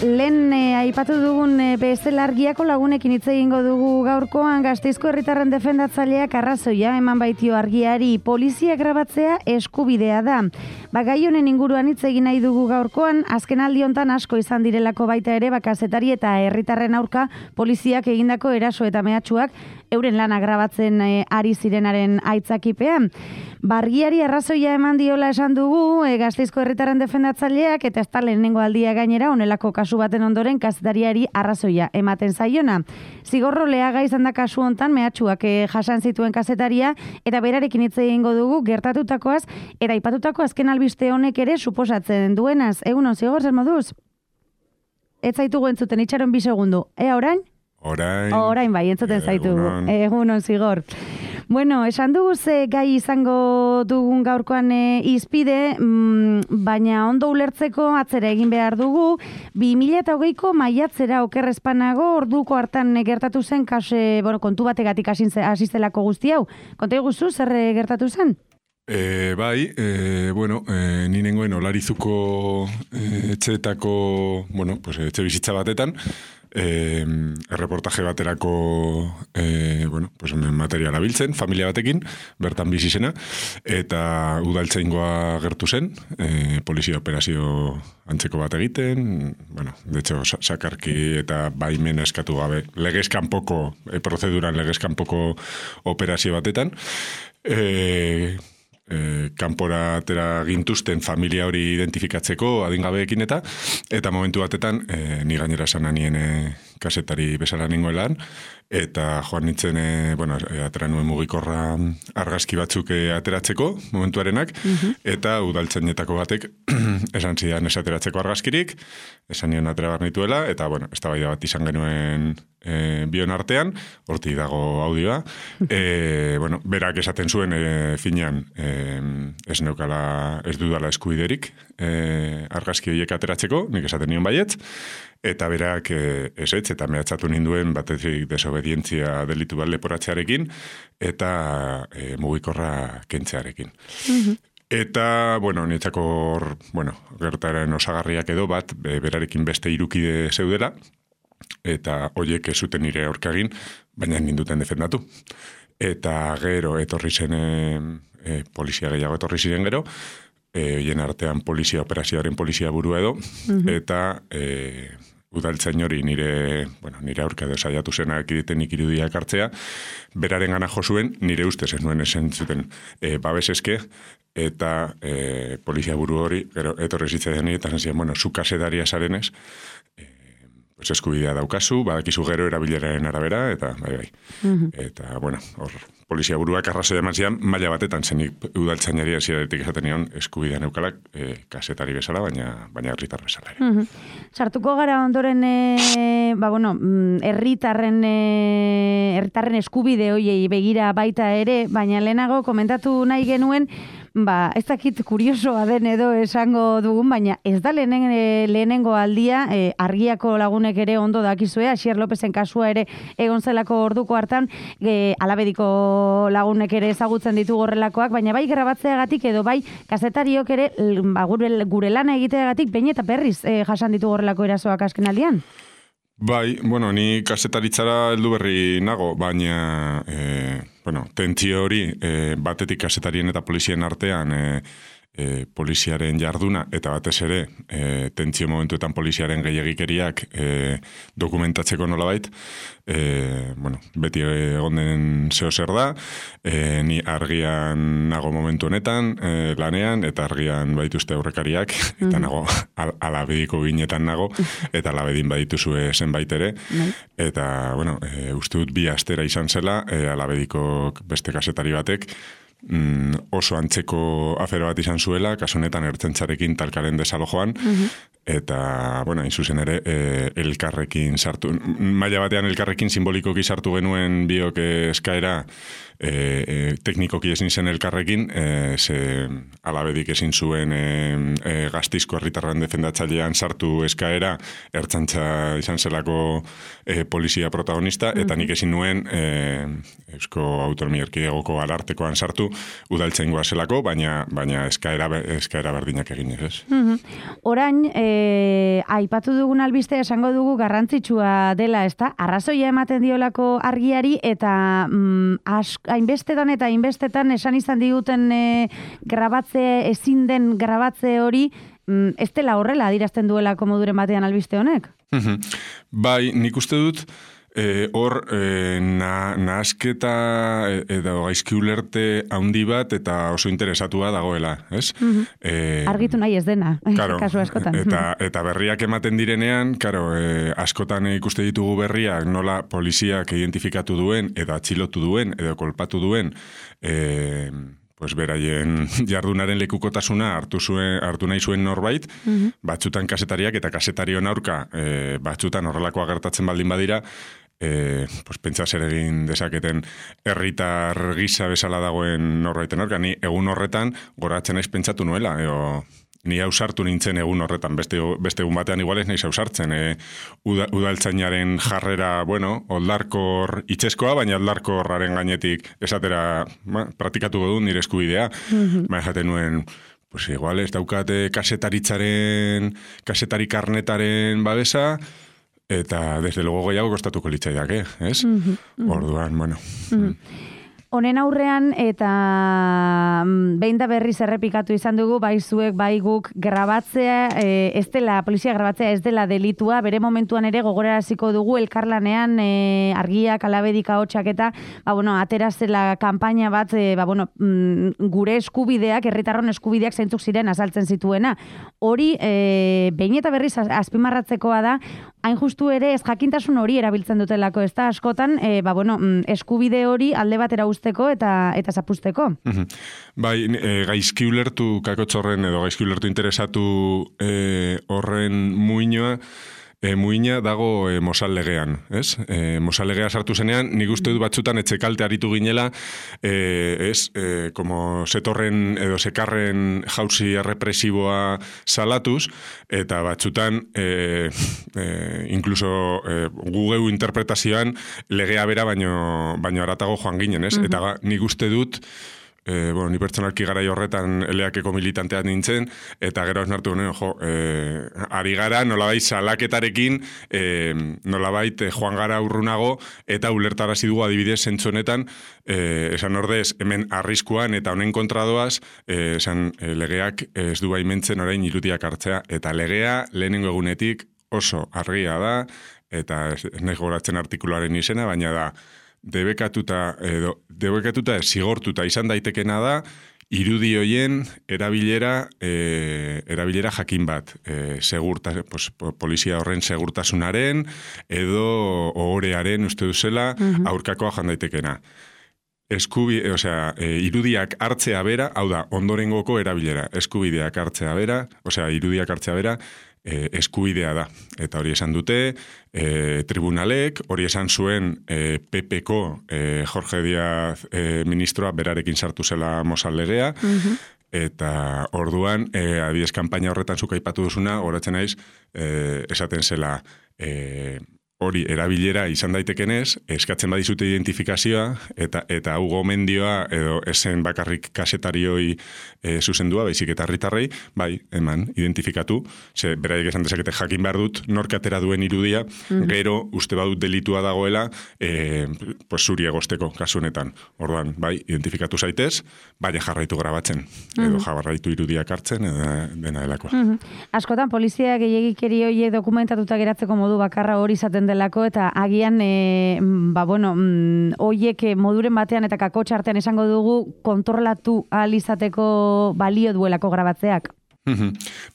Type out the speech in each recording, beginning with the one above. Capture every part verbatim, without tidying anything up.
Lehen e, aipatu dugun e, bezala argiako lagunekin hitz egingo dugu gaurkoan. Gasteizko herritarren defendatzaileak arrazoia eman baitio argiari, polizia grabatzea eskubidea da. Ba, gai honen inguruan hitz egin nahi dugu gaurkoan, azken aldi hontan asko izan direlako baita ere, ba, kazetari eta herritarren aurka poliziak egindako eraso eta mehatxuak euren lana grabatzen e, ari zirenaren aitzakipean. Bargiari arrazoia eman diola esan dugu e, Gasteizko herritarren defendatzaileak, eta ez da lehenengo aldia gainera honelako kasu baten ondoren kazetariari arrazoia ematen zaiona. Zigorro leaga izan da kasu hontan mehatxuak e, jasan zituen kazetaria, eta berarekin hitz egingo dugu gertatutakoaz eta aipatutako azken albiste honek ere suposatzen duenaz. Egunon, Zigor, zer moduz? Ez zaitugu entzuten, itxaron bi segundu. Ea orain? Orain. Orain bai, entzuten zaitugu. Egunon, Zigor. Bueno, esan dugu ze gai izango dugun gaurkoan e, izpide, mm, baina ondo ulertzeko atzera egin behar dugu. bi mila hogeiko maiatzera okerrezpanago orduko hartan gertatu zen kase, bueno, kontu bategatik hasi zelako guzti hau. Konta iguzu, zer gertatu zen? E, bai, e, bueno, e, ni nengoen Olarizuko e, etxeetako, bueno, pues, etxe bizitza batetan, e, erreportaje baterako e, bueno, pues, materiala biltzen, familia batekin, bertan bizi zena, eta udaltzaingoa gertu zen, e, polizia operazio antzeko bat egiten, bueno, de hecho, sakarki eta baimen eskatu gabe, legezkanpoko, e, prozeduran legezkanpoko operazio batetan, e, E, kanpora atera gintuzten familia hori identifikatzeko adingabeekin eta eta momentu batetan e, ni gainera esan nien e, kasetari bezala ningoelan eta joan nintzen e, bueno, e, atera nuen mugikorra argazki batzuk e, ateratzeko momentuarenak uh-huh. eta udaltzainetako batek esan zidan esateratzeko argazkirik, esan nion atera bar nituela eta bueno, eztabaida bat izan genuen E, bion artean, horti dago audioa, e, bueno, berak esaten zuen e, finean e, ez neukala, ez dudala eskubiderik e, argazki horiek ateratzeko, nik esaten nion baietz, eta berak e, esetz, eta mehatzatu ninduen batezik desobedientzia delitu bat leporatzearekin, eta e, mugikorra kentzearekin. Mm-hmm. Eta, bueno, niretzako, bueno, gertaren osagarriak edo bat, be, berarekin beste hirukide zeudela, eta hoiek ez zuten nire aurkagin, baina ninduten defendatu. Eta gero etorri zen e, e, polizia gehiago etorri ziren gero, e, hien artean polizia operazioaren polizia burua edo, uh-huh. eta e, udaltzain hori nire, bueno, nire aurka edo saiatu zenak egitenik irudiak hartzea, beraren gana jo zuen, nire ustez ez nuen esen zuten e, babes eske, eta e, polizia buru hori, gero etorri zitzen eta zen, bueno, zu kasedaria zarenez, pues eskubidea daukazu, badakizu gero erabileraren arabera, eta bai, bai. Uh-huh. Eta, bueno, hor, polizia buruak arrazoia eman zian, maila batetan zenik udaltzainari hasieratik esaten nion eskubidea neukalak e, kasetari bezala, baina baina herritar bezala ere. Uh-huh. Sartuko gara ondoren, e, ba, bueno, herritarren e, herritarren eskubide hoiei begira baita ere, baina lehenago komentatu nahi genuen, ba, ez dakit kuriosoa den edo esango dugun, baina ez da lehenen, e, lehenengo aldia, e, argiako lagunek ere ondo dakizue, Asier Lopezen kasua ere egon zelako orduko hartan, e, alabediko lagunek ere ezagutzen ditu horrelakoak, baina bai grabatzeagatik edo bai kazetariok ere ba, gure, gure lana egiteagatik behin eta berriz e, jasan ditu horrelako erasoak azken aldian. Bai, bueno, ni kasetaritzara heldu berri nago, baina e, bueno, tentzio hori e, batetik kasetarien eta polizien artean e, e, poliziaren jarduna eta batez ere e, tentzio momentuetan poliziaren gehiagikeriak e, dokumentatzeko nolabait, e, bueno, beti egon den zeo zer da, e, ni argian nago momentu honetan e, lanean eta argian baituzte aurrekariak eta mm-hmm. nago al, alabediko ginetan nago eta alabedin badituzue zenbait ere eta bueno, e, uste dut bi astera izan zela e, alabediko beste kasetari batek mm, oso antzeko afero bat izan zuela, kasu honetan ertzentzarekin talkaren desalojoan, uh-huh. eta, bueno, hain zuzen ere, e, elkarrekin sartu, maila batean elkarrekin simbolikoki sartu genuen biok eskaera, e, e, teknikoki ezin zen elkarrekin, e, ze alabedik ezin zuen e, e, Gasteizko herritarren defendatzailean sartu eskaera, ertzantza izan zelako e, polizia protagonista, eta nik ezin nuen e, Eusko Autonomia Erkidegoko Arartekoan sartu udaltzaingoa zelako, baina baina eskaera eskaera berdinak egin ez. Mm-hmm. Orain, e, e, aipatu dugun albistea esango dugu garrantzitsua dela, ezta? Arrazoia ematen diolako argiari eta mm, as, hainbestetan eta hainbestetan esan izan diguten e, grabatze, ezin den grabatze hori, mm, ez dela horrela adirazten duelako moduren batean albiste honek? Bai, nik uste dut, E, hor, e, na, nahasketa edo gaizki ulerte handi bat eta oso interesatua dagoela, ez? Mm-hmm. E, Argitu nahi ez dena, claro, kasu askotan. Eta, eta berriak ematen direnean, claro, e, askotan ikuste ditugu berriak nola poliziak identifikatu duen, edo atxilotu duen, edo kolpatu duen, e, pues beraien jardunaren lekukotasuna hartu zuen hartu nahi zuen norbait, mm-hmm. batzutan kasetariak eta kasetarion aurka e, batzutan horrelakoa gertatzen baldin badira, e, pues pentsa zer egin dezaketen herritar gisa bezala dagoen norbaiten aurka. Ni egun horretan goratzen naiz pentsatu nuela, edo ni ausartu nintzen egun horretan, beste, beste egun batean igual ez naiz ausartzen. E, uda, udaltzainaren jarrera, bueno, oldarkor itxeskoa, baina oldarkorraren gainetik esatera ba, praktikatuko du nire eskubidea. Mm-hmm. Baina jaten nuen, pues igual ez daukate kasetaritzaren, kasetari karnetaren babesa, eta desde luego gehiago kostatuko litzaidak, eh? Ez? Mm-hmm. Orduan, bueno... Mm-hmm. Honen aurrean eta behin da berriz errepikatu izan dugu, bai zuek, bai guk grabatzea, e, ez dela, polizia grabatzea ez dela delitua, bere momentuan ere gogoraraziko dugu elkarlanean e, argiak, alabedik, ahotsak eta, ba, bueno, aterazela kanpaina bat, e, ba, bueno, mm, gure eskubideak, herritarron eskubideak zeintzuk ziren azaltzen zituena. Hori, e, behin eta berriz azpimarratzekoa da, hain justu ere ez jakintasun hori erabiltzen dutelako, ez da askotan, e, ba, bueno, eskubide hori alde batera usteko eta eta zapusteko. Mm-hmm. Bai, e, gaizki ulertu kakotzorren edo gaizki ulertu interesatu e, horren muinoa, E, muina dago e, Mosal legean, ez? E, Mosal legea sartu zenean, nik uste dut batzutan etxekalte aritu ginela, e, ez, e, como setorren edo sekarren jauzi errepresiboa salatuz, eta batzutan, e, e, incluso e, gugeu interpretazioan legea bera baino, baino aratago joan ginen, ez? Mm-hmm. Eta nik uste dut, E, bueno, ni pertsonalki garai horretan eleakeko militanteat nintzen, eta gero esnartu ginen, jo, e, ari gara nolabait salaketarekin, e, nolabait e, joan gara urrunago, eta ulertarazi dugu adibidez zentzonetan, e, esan ordez, hemen arriskuan eta honen kontradoaz, e, esan e, legeak ez du baimentzen orain irudiak hartzea, eta legea lehenengo egunetik oso argia da, eta ez, ez nahi goratzen artikuluaren izena, baina da, debekatuta edo debekatuta zigortuta izan daitekena da irudi hoien erabilera e, erabilera jakin bat, e, segurta, pues, polizia horren segurtasunaren edo ohorearen uste duzela mm-hmm. aurkakoa jan daitekena. Eskubi, e, osea, e, irudiak hartzea bera, hau da, ondorengoko erabilera, eskubideak hartzea bera, osea, irudiak hartzea bera, E, eskubidea da. Eta hori esan dute, e, tribunalek, hori esan zuen e, P P-ko e, Jorge Díaz e, ministroa berarekin sartu zela Mosal legea, mm-hmm. eta orduan, e, adibidez kanpaina horretan zuk aipatu duzuna, horatzen naiz, e, esaten zela, e, hori erabilera izan daitekenez, eskatzen badizute identifikazioa, eta eta hau gomendioa, edo esen bakarrik kasetarioi e, zuzendua, baizik eta herritarrei, bai, eman, identifikatu, ze beraiek esan dezakete jakin behar dut, nork atera duen irudia, mm-hmm. gero uste badut delitua dagoela, e, pues, zuri egosteko kasunetan. Orduan, bai, identifikatu zaitez, baina jarraitu grabatzen, mm-hmm. edo jarraitu irudiak hartzen, edo dena delakoa. Mm-hmm. Askotan, polizia gehiagikeri horiek dokumentatuta geratzeko modu bakarra hori izaten delako, eta agian e, ba, bueno, horiek moduren batean eta kakotxartean esango dugu kontrolatu ahal izateko balio duelako grabatzeak.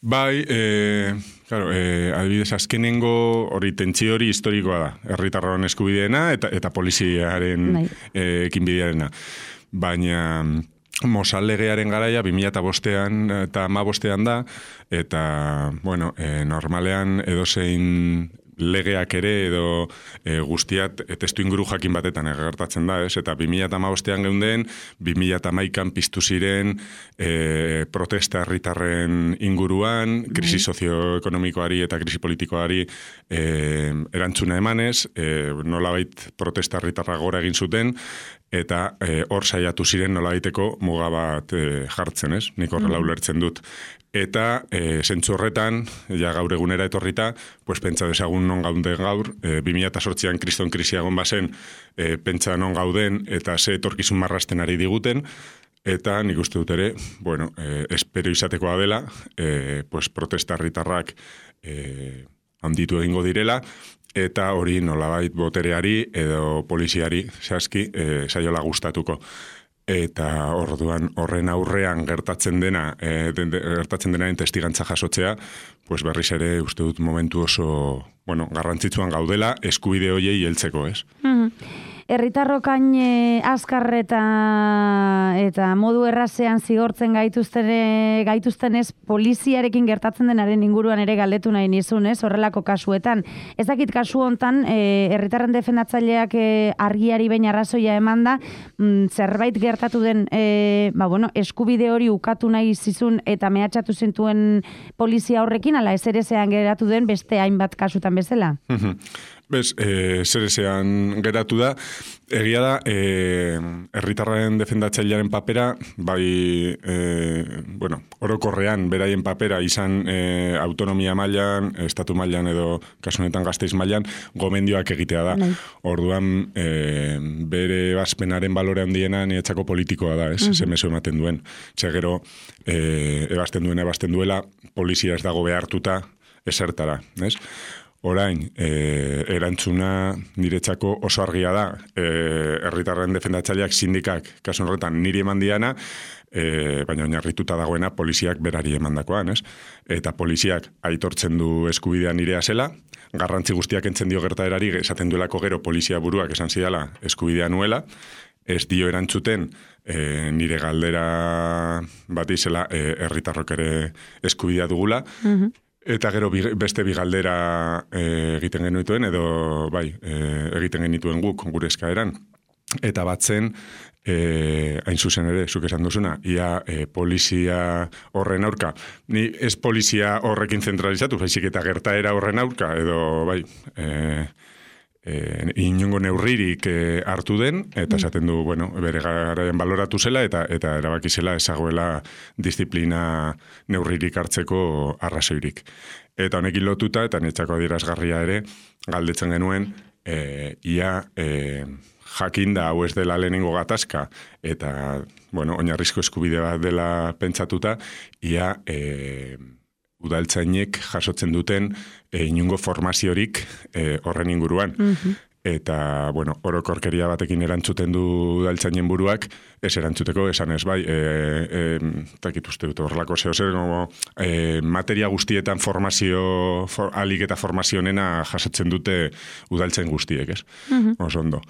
Bai, e, claro, e, adibidez azkenengo hori tentsio hori historikoa da, herritarron eskubideena eta, eta poliziaren e, ekinbidearena. Baina Mosal legearen garaia bi mila bostean eta hamabostean da, eta, bueno, e, normalean edozein legeak ere edo e, guztiat e, testu inguru jakin batetan gertatzen da, ez? Eta bi mila hamabostean geunden, bi mila hamaikan piztu ziren e, protesta herritarren inguruan, krisi sozioekonomikoari eta krisi politikoari e, erantzuna emanez, e, nolabait protesta herritarra gora egin zuten, eta e, hor saiatu ziren nolabaiteko muga bat e, jartzen, ez? Nik horrela ulertzen dut. Eta e, zentzu horretan, ja gaur egunera etorrita, pues, pentsa desagun non gauden gaur, e, bi mila zortzian kriston krisiagon bazen, e, pentsa non gauden, eta ze etorkizun marrasten ari diguten, eta nik uste dut ere, bueno, e, espero izatekoa dela, e, pues, protesta herritarrak e, handitu egingo direla, eta hori nolabait botereari edo poliziari zehazki e, saiola gustatuko. Eta orduan horren aurrean gertatzen dena, e, de, de, gertatzen denaren testigantza jasotzea, pues berriz ere uste dut momentu oso, bueno, garrantzitsuan gaudela eskubide hoiei heltzeko, ez? Mm-hmm. Herritarrokain e, azkar eta, eta modu errazean zigortzen gaituzten, gaituztenez poliziarekin gertatzen denaren inguruan ere galdetu nahi nizun, ez? Horrelako kasuetan. Ez dakit kasu hontan, e, herritarren defendatzaileak e, argiari behin arrazoia eman da, mm, zerbait gertatu den e, ba, bueno, eskubide hori ukatu nahi zizun eta mehatxatu zintuen polizia horrekin, ala ez ere zean geratu den beste hainbat kasutan bezala? Bez, e, zer ezean geratu da, egia da, e, herritarren defendatzailearen papera, bai, e, bueno, orokorrean beraien papera izan e, autonomia mailan, estatu mailan edo kasunetan Gasteiz mailan, gomendioak egitea da. Nei. Orduan, e, bere bazpenaren balore handiena niretzako politikoa da, ez? Uh-huh. Zemezo ematen duen. Txegero, e, ebazten duen, ebazten duela, polizia ez dago behartuta esertara, ez? Orain, e, erantzuna niretzako oso argia da, e, herritarren defendatzaileak sindikak, kasu horretan niri eman diana, e, baina oinarrituta dagoena poliziak berari emandakoan, ez? Eta poliziak aitortzen du eskubidea nirea zela, garrantzi guztiak entzen dio gertaerari, esaten duelako gero polizia buruak esan zidala eskubidea nuela, ez dio erantzuten e, nire galdera bat izela e, herritarrok ere eskubidea dugula, mm-hmm. Eta gero beste bigaldera e, egiten genituen, edo bai, e, egiten genituen guk gure eskaeran. Eta batzen, e, hain zuzen ere, zuk esan duzuna, ia e, polizia horren aurka. Ni ez polizia horrekin zentralizatu, baizik eta gertaera horren aurka, edo bai, e, e, inongo neurririk e, hartu den, eta esaten du, bueno, bere garaian baloratu zela, eta eta erabaki zela ezagoela disiplina neurririk hartzeko arrazoirik. Eta honekin lotuta, eta niretzako adierazgarria ere, galdetzen genuen, e, ia e, jakinda hau ez dela lehenengo gatazka, eta, bueno, oinarrizko eskubide bat dela pentsatuta, ia e, udaltzainek jasotzen duten e, inungo formaziorik e, horren inguruan. Mm-hmm. Eta, bueno, orokorkeria batekin erantzuten du udaltzainen buruak, ez erantzuteko, esan ez bai, e, e, takit uste dut horrelako zeo zer, como, e, materia guztietan formazio, for, alik eta formazionena jasotzen dute udaltzain guztiek, ez? Mm-hmm. Oso ondo.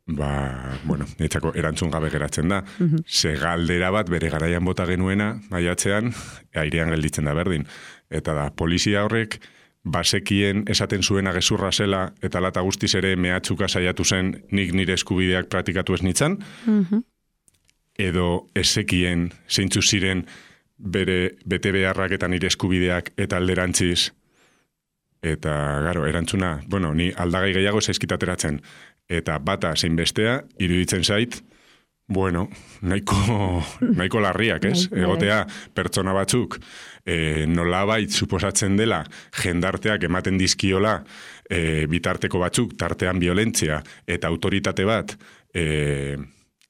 Ba, bueno, niretzako erantzun gabe geratzen da. Mm-hmm. Ze galdera bat bere garaian bota genuena, maiatzean, airean gelditzen da berdin. Eta da, polizia horrek, basekien esaten zuena gezurra zela, eta lata guztiz ere mehatxuka saiatu zen nik nire eskubideak praktikatu ez nitzan, mm-hmm. edo ezekien zeintzu ziren bere bete beharrak eta nire eskubideak eta alderantziz. Eta, garo, erantzuna, bueno, ni aldagai gehiago zaizkitateratzen. Eta bata zein bestea, iruditzen zait, bueno, nahiko, nahiko larriak, ez? Egotea, pertsona batzuk, e, nolabait suposatzen dela, jendarteak ematen dizkiola, e, bitarteko batzuk, tartean violentzia, eta autoritate bat, e,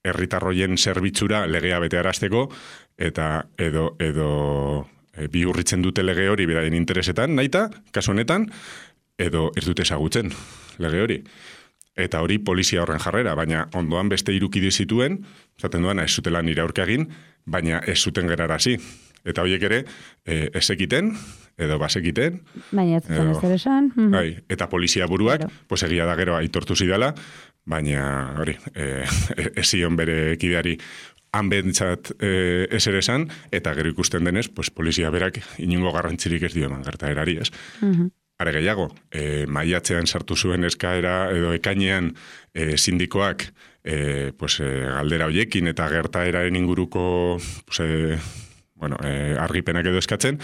herritarroien zerbitzura legea betearazteko, eta edo, edo e, bihurritzen dute lege hori beraien interesetan, nahita, kasu honetan, edo ez dute ezagutzen lege hori. Eta hori polizia horren jarrera, baina ondoan beste irukide zituen, zaten duana ez zutela nire aurka egin, baina ez zuten gerarazi. Eta horiek ere, e, ez ekiten, edo basekiten. Baina ez zuten ez ere esan. Bai, eta polizia buruak, pues egia da gero aitortu zidala, baina hori, e, ez zion bere kideari han bentsat e, ez ere esan, eta gero ikusten denez, pues polizia berak inungo garrantzirik ez dio eman gertaerari, ez? Mhm. Are gehiago, e, maiatzean sartu zuen eskaera edo ekainean e, sindikoak e, pues, e, galdera hoiekin eta gertaeraren inguruko pues, e, bueno, e, argipenak edo eskatzen,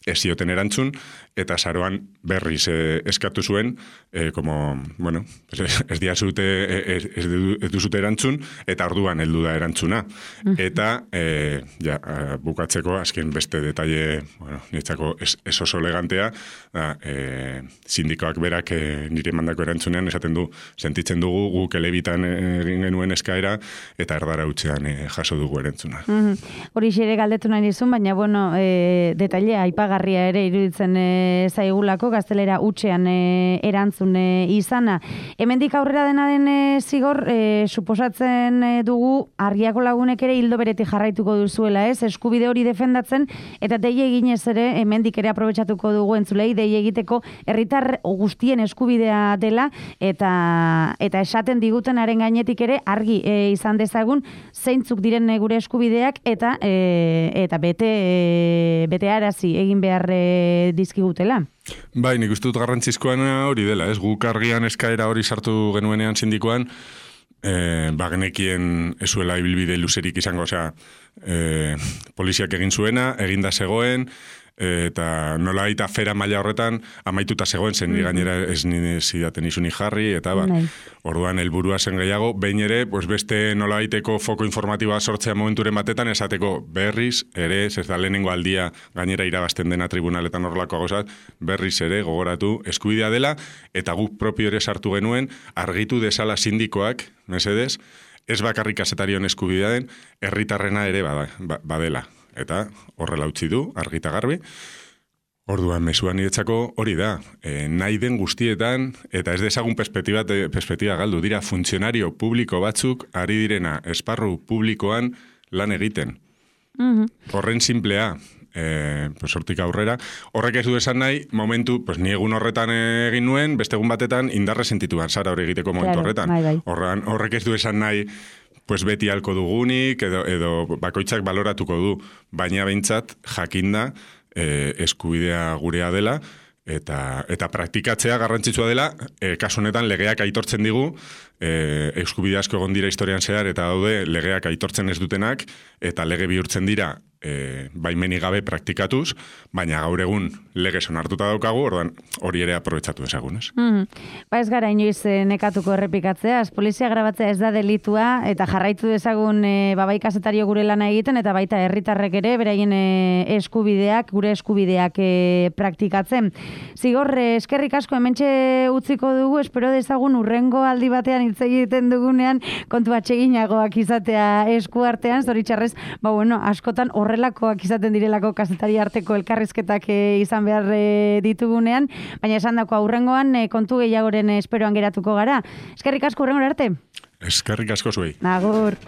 ez zioten erantzun, eta saroan berriz eh, eskatu zuen, eh, como, bueno, pues, ez diazute, ez, ez, ez duzute erantzun, eta orduan heldu da erantzuna. Eta, eh, ja, bukatzeko, azken beste detalle, bueno, niretzako ez, ez oso elegantea, da, eh, sindikoak berak eh, nire mandako erantzunean, esaten du, sentitzen dugu, guk elebitan egin genuen eskaera, eta erdara utzean eh, jaso dugu erantzuna. Hori mm-hmm. xere galdetu nahi dizun, baina, bueno, eh, detailea aipagarria ere iruditzen e, zaigulako, gaztelera utxean e, erantzun e, izana. Hemendik aurrera dena den e, zigor, e, suposatzen e, dugu argiako lagunek ere hildo beretik jarraituko duzuela, ez? Eskubide hori defendatzen, eta dei eginez ere, hemendik ere aprobetxatuko dugu entzulei, dei egiteko herritar guztien eskubidea dela, eta eta esaten digutenaren gainetik ere argi e, izan dezagun, zeintzuk diren gure eskubideak, eta e, eta bete, e, bete arazi egin behar e, dizkigutela. Bai, nik uste dut garrantzizkoan hori dela, ez? Guk argian eskaera hori sartu genuenean sindikoan, eh, bagenekien ezuela ibilbide luzerik izango, osea, eh, poliziak egin zuena, eginda zegoen, eta nola gaita fera maila horretan amaituta zegoen, zen mm-hmm. gainera ez nire zidaten izuni jarri, eta ba, Nei. orduan helburua zen gehiago, behin ere, pues beste nola gaiteko foko informatiboa sortzea momenturen batetan, esateko berriz ere, ez da lehenengo aldia gainera irabazten dena tribunaletan horrelako gozat, berriz ere gogoratu eskubidea dela, eta guk propio ere sartu genuen, argitu desala sindikoak, mesedez, ez bakarrik kazetarion eskubidea den, herritarrena ere bada, badela. Eta horrela utzi du, argita garbi. Orduan, mezuan niretzako hori da. E, nahi den guztietan, eta ez dezagun perspektiba, perspektiba galdu, dira funtzionario publiko batzuk ari direna esparru publikoan lan egiten. Mm-hmm. Horren simplea, e, pues, hortik aurrera. Horrek ez du esan nahi, momentu, pues, ni egun horretan egin nuen, beste egun batetan indarre sentituan, zara hori egiteko momentu claro, horretan. Bai, bai. Horran, horrek ez du esan nahi, pues beti halko dugunik, edo, edo bakoitzak baloratuko du, baina behintzat jakinda eh, eskubidea gurea dela, eta, eta praktikatzea garrantzitsua dela, eh, kasu honetan legeak aitortzen digu, eh, eskubide asko egon dira historian zehar, eta daude legeak aitortzen ez dutenak, eta lege bihurtzen dira, e, baimenik gabe praktikatuz, baina gaur egun legez onartuta daukagu, orduan hori ere aprobetxatu ezagun, ez? Mm. Ba ez gara inoiz nekatuko errepikatzeaz, polizia grabatzea ez da delitua, eta jarraitu dezagun e, babai kasetario gure lana egiten, eta baita herritarrek ere, beraien e, eskubideak, gure eskubideak e, praktikatzen. Zigor, e, eskerrik asko hementxe utziko dugu, espero dezagun urrengo aldi batean hitz egiten dugunean, kontu atseginagoak izatea eskuartean, zoritxarrez, ba bueno, askotan horrelakoak izaten direlako kazetari arteko elkarrizketak e, izan behar e, ditugunean, baina esan dako aurrengoan e, kontu gehiagoren esperoan geratuko gara. Eskerrik asko urrengo arte. Eskerrik asko zuei. Agur.